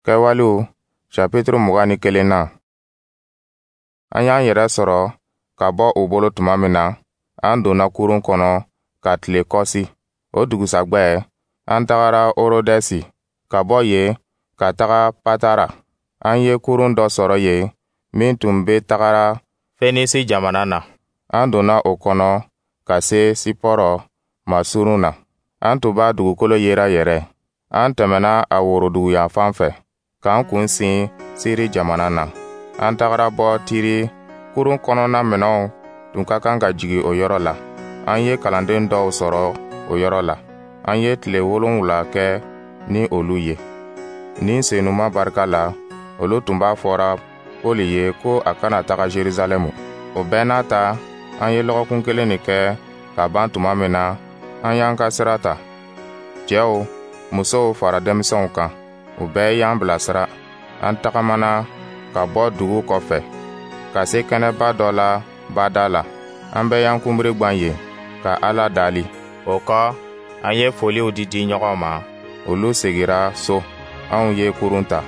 Kɛwalew chapitre 21 na. An y'an yɛrɛ sɔrɔ ka bɔ u bolo tuma min na, an donna kurun kɔnɔ ka tile Kɔsi. O dugusagwɛ, an tagara Orodɛsi, ka bɔ yen ka taga Patara. An ye kurun dɔ sɔrɔ yen min tun bɛ tagara Fenisi jamana na. An donna o kɔnɔ ka se Sipɔrɔ masurun na. An tun b'a dugukolo yera yɛrɛ. An tɛmɛna a woroduguyanfan fɛ, k'an kun sin Siri jamana na. An tagara bɔ Tiri, kurun kɔnɔna minɛnw tun ka kan ka jigin o yɔrɔ la. An ye kalanden dɔw sɔrɔ o yɔrɔ la. An ye tile 7 kɛ ni olu ye. Ni Senuma barika la, olu tun b'a fɔra Poli ye ko a kana taga Jerusalɛmu. O bɛɛ n'a ta, an ye lɔgɔkun kelen nin kɛ ka ban tuma min na, an y'an ka sira ta. Cɛw, musow fara denmisɛnw kan, u bɛɛ y'an bilasira. An tagamana ka bɔ dugu kɔfɛ, ka se kɛnɛba dɔ la bada la. An bɛɛ y'an kunbiri gwan yen ka Ala dali. O kɔ, an ye foliw di di ɲɔgɔn ma. Olu segira so, anw ye kurun ta.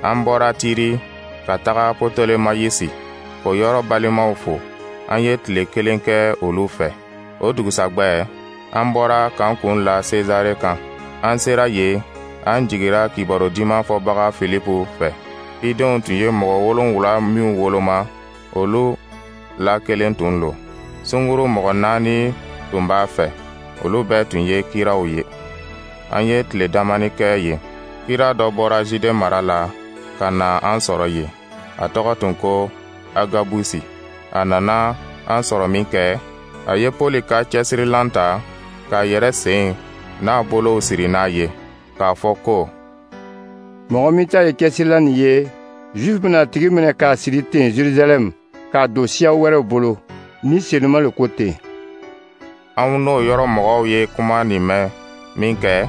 An bɔra Tiri ka taga Pɔtɔlemayisi, k'o yɔrɔ balimaw fo. An ye tile kelen kɛ olu fɛ. O dugusagwɛ, an bɔra k'an kun la Sezare kan. An sera yen, an jigira kibaru diman fɔbaga Filipu fɛ. Cidenw tun ye mɔgɔ 7 minw woloma, olu la kelen tun lo. Sunguru mɔgɔ naani tun b'a fɛ, olu bɛɛ tun ye kiraw ye. An ye tile damani kɛ yen. Kira dɔ bɔra Jude mara la ka na an sɔrɔ yen. A tɔgɔ tun ko Agabusi. A nana an sɔrɔ min kɛ, a ye Poli ka cɛsirilan ta k'a yɛrɛ sen n'a bolow siri n'a ye, k'a fɔ ko: Mɔgɔ min ta ye cɛsirilan nin ye, Juif bɛna a tigi minɛ k'a siri ten Jerusalɛm, k'a don siya wɛrɛw bolo. Ni Senuma le ko ten. Anw n'o yɔrɔ mɔgɔw ye kuma nin mɛn min kɛ,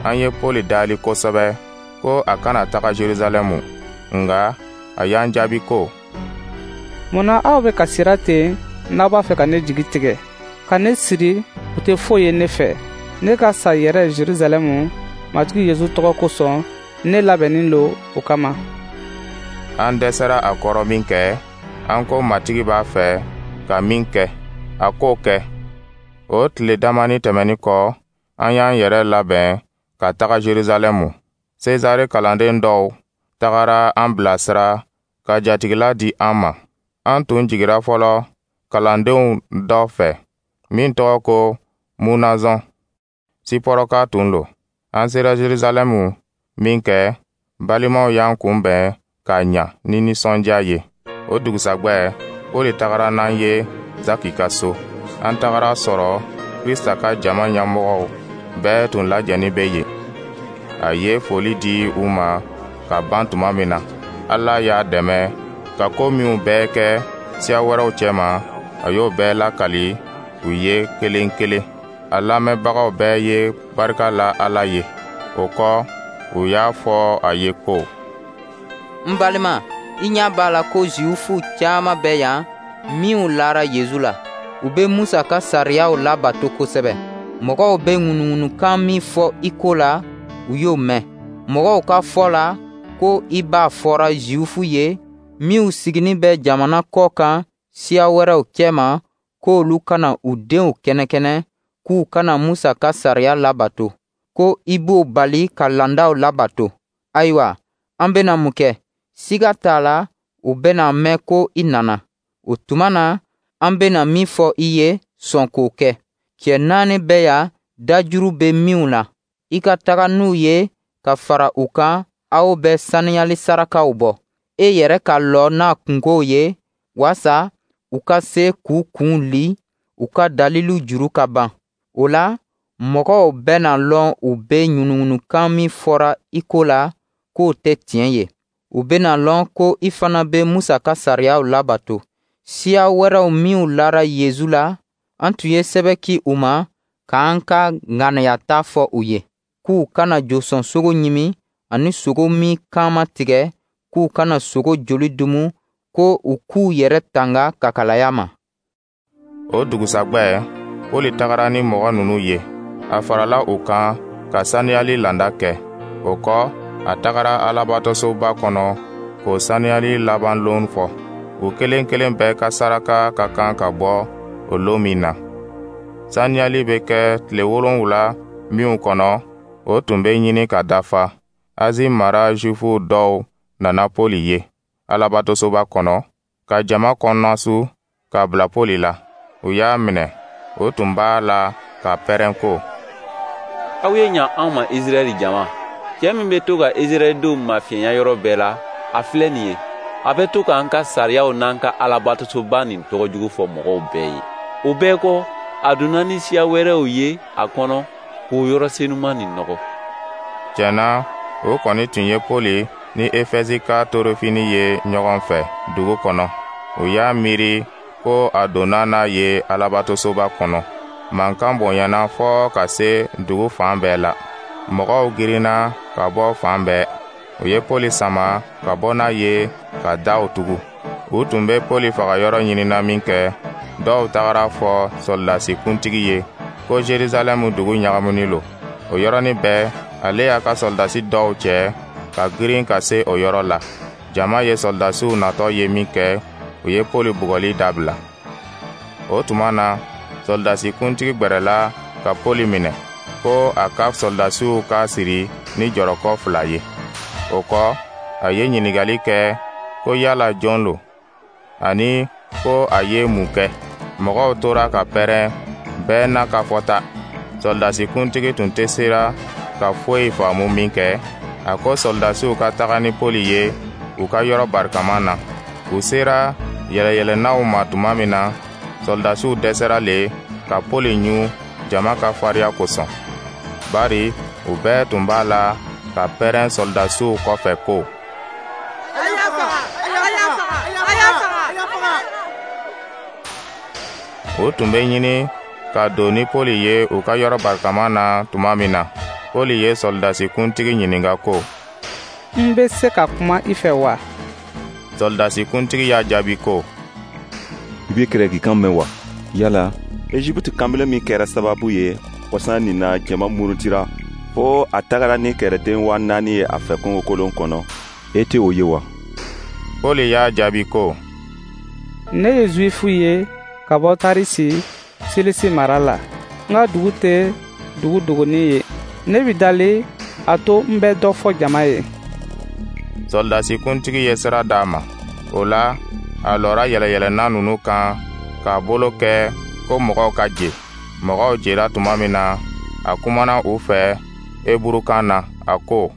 an ye Poli dali kosɛbɛ ko a kana taga Jerusalɛmu. Nka a y'an jaabi ko: Mun na aw bɛ ka sira ten n'aw b'a fɛ ka ne jigi tigɛ? Ka ne siri, o tɛ foyi ye ne fɛ. Ne ka sa yɛrɛ Jerusalɛmu, Matigi Yesu tɔgɔ kosɔn, ne labɛnnin lo o kama. An dɛsɛra a kɔrɔ min kɛ, an ko Matigi b'a fɛ ka min kɛ, a k'o kɛ. O tile damani tɛmɛnin kɔ, an y'an yɛrɛ labɛn ka taga Jerusalɛmu. Sezare kalanden dɔw tagara an bilasira ka jatigila di an ma. An tun jigira fɔlɔ kalandenw dɔ fɛ min tɔgɔ ko Munazɔn. Sipɔrɔka tun lo. An sera Jerusalɛmu min kɛ, balimaw y'an kunbɛn ka ɲa ni nisɔndiya ye. O dugusagwɛ, Poli tagara n'an ye Zaki ka so. An tagara sɔrɔ Krista ka jama ɲɛmɔgɔw bɛɛ tun lajɛnin bɛ yen. A ye foli di u ma ka ban tuma min na, Ala y'a dɛmɛ ka ko minw bɛɛ kɛ siya wɛrɛw cɛma, a y'o bɛɛ lakali u ye kelen kelen. A lamɛnbagaw bɛɛ ye barika la Ala ye. O kɔ, u y'a fɔ a ye ko: N balima, i ɲɛ b'a la ko Zuwifu caman bɛ yan minw lara Yezu la. U bɛ Musa ka sariyaw labato kosɛbɛ. Mɔgɔw bɛ ŋunuŋunukan min fɔ i ko la, u y'o mɛn. Mɔgɔw ka fɔ la ko i b'a fɔra Zuwifu ye minw siginin bɛ jamana kɔ kan siya wɛrɛw cɛma, k'olu kana u denw kɛnɛkɛnɛ, k'u kana Musa ka sariya labato, ko i b'o bali ka landaw labato. Ayiwa, an bena mun kɛ? Siga t'a la, u bena mɛn ko i nana. O tuma na, an bena min fɔ i ye, sɔn k'o kɛ. Cɛ naani bɛ yan dajuru bɛ minw na. I ka taga n'u ye ka fara u kan, aw bɛ saniyali sarakaw bɔ. E yɛrɛ ka lɔ n'a kunkow ye, waasa u ka se k'u kun li, u ka dalilu juru ka ban. O la, mɔgɔw bɛna lɔn u bɛ ŋunuŋunukan min fɔra i ko la, k'o tɛ tiɲɛ ye. U bɛna lɔn ko i fana bɛ Musa ka sariyaw labato. Siya wɛrɛw minw lara Yezu la, an tun ye sɛbɛ ci u ma k'an ka ŋaniyata fɔ u ye, k'u kana josɔn sogo ɲimi ani sogo min kan ma tigɛ, k'u kana sogo joli dumu, ko u k'u yɛrɛ tanga kakalaya ma. O dugusagwɛ, Poli tagara ni mɔgɔ ninnu ye. A farala u kan ka saniyali landa kɛ. O kɔ, A tagara Alabatosoba kɔnɔ k'o saniyali laban lon fɔ. U kelen kelen bɛɛ ka saraka ka kan ka bɔ o lon min na. Saniyali bɛ kɛ tile 7 minw kɔnɔ, o tun bɛ ɲini ka dafa. Azi mara Jufuw dɔw nana Poli ye Alabatosoba kɔnɔ, ka jama kɔnɔnasu ka bila Poli la. U y'a minɛ, o tun b'a la ka pɛrɛn ko: Aw ye ɲa anw ma, Israɛl jama. Cɛ min bɛ to ka Israɛldenw mafiɲɛya yɔrɔ bɛɛ la, a filɛ nin ye. A bɛ to k'an ka sariyaw n'an ka Alabatosoba nin tɔgɔ jugu fɔ mɔgɔw bɛɛ ye. O bɛɛ kɔ, a donna ni siya wɛrɛw ye a kɔnɔ k'o yɔrɔ senuman nin nɔgɔ. Tiɲɛ na, o kɔni tun ye Poli ni Efɛsika Torofini ye ɲɔgɔn fɛ dugu kɔnɔ. U y'a miiri ko a donna n'a ye Alabatosoba kɔnɔ. Mankan bonyana fɔɔ ka se dugu fan bɛɛ la. Mɔgɔw girinna ka bɔ fan bɛɛ. U ye Poli sama ka bɔ n'a ye ka daw tugu. U tun bɛ Poli fagayɔrɔ ɲinina minkɛ, dɔw tagara fɔ sɔrɔdasi kuntigi ye ko Jerusalɛmu dugu ɲagamuni lo. O yɔrɔnin bɛɛ, ale y'a ka sɔrɔdasi dɔw cɛ ka girin ka se o yɔrɔ la. Jama ye sɔrɔdasiw natɔ ye minkɛ, u ye Poli bugɔli dabila. O tuma na, sɔrɔdasi kuntigi gbɛrɛla ka Poli minɛ, ko a ka sɔrɔdasiw k'a siri ni jɔrɔkɔ 2 ye. O kɔ, a ye ɲininkali kɛ ko yala jɔn lo, ani ko a ye mun kɛ. Mɔgɔw tora ka pɛrɛn, bɛɛ n'a ka fɔta. Sɔrɔdasi kuntigi tun tɛ sera ka foyi faamu minkɛ, a ko sɔrɔdasiw ka taga ni Poli ye u ka yɔrɔ barikama na. U sera yɛlɛyɛlɛnnaw ma tuma min na, sɔrɔdasiw dɛsɛra le ka Poli ɲun jama ka fariya kosɔn, bari u bɛɛ tun b'a la ka pɛrɛn sɔrɔdasiw kɔfɛ ko: A y'a faga! A y'a faga! A y'a faga! A y'a faga! U tun bɛ ɲini ka don ni Poli ye u ka yɔrɔ barikama na tuma min na, Poli ye sɔrɔdasi kuntigi ɲininka ko: N bɛ se ka kuma i fɛ wa? Sɔrɔdasi kuntigi y'a jaabi ko: I bɛ gɛrɛkikan mɛn wa? Yala Ejiputi kanbelen min kɛra sababu ye kɔsa nin na jama murutira fo a tagara ni kɛlɛden 4000 ye a fɛ kungokolon kɔnɔ, e tɛ o ye wa? Poli y'a jaabi ko: Ne ye Zuwifu ye ka bɔ Tarisi, Silisi mara la. N ka dugu tɛ dugu dogonin ye. Ne b'i dali, a to n bɛ dɔ fɔ jama ye. Sɔrɔdasi kuntigi ye sira d'a ma. O la, a lɔra yɛlɛyɛlɛnna ninnu kan k'a bolo kɛ ko mɔgɔw ka je. Mɔgɔw jera tuma min na, a kumana u fɛ eburukan na, a ko: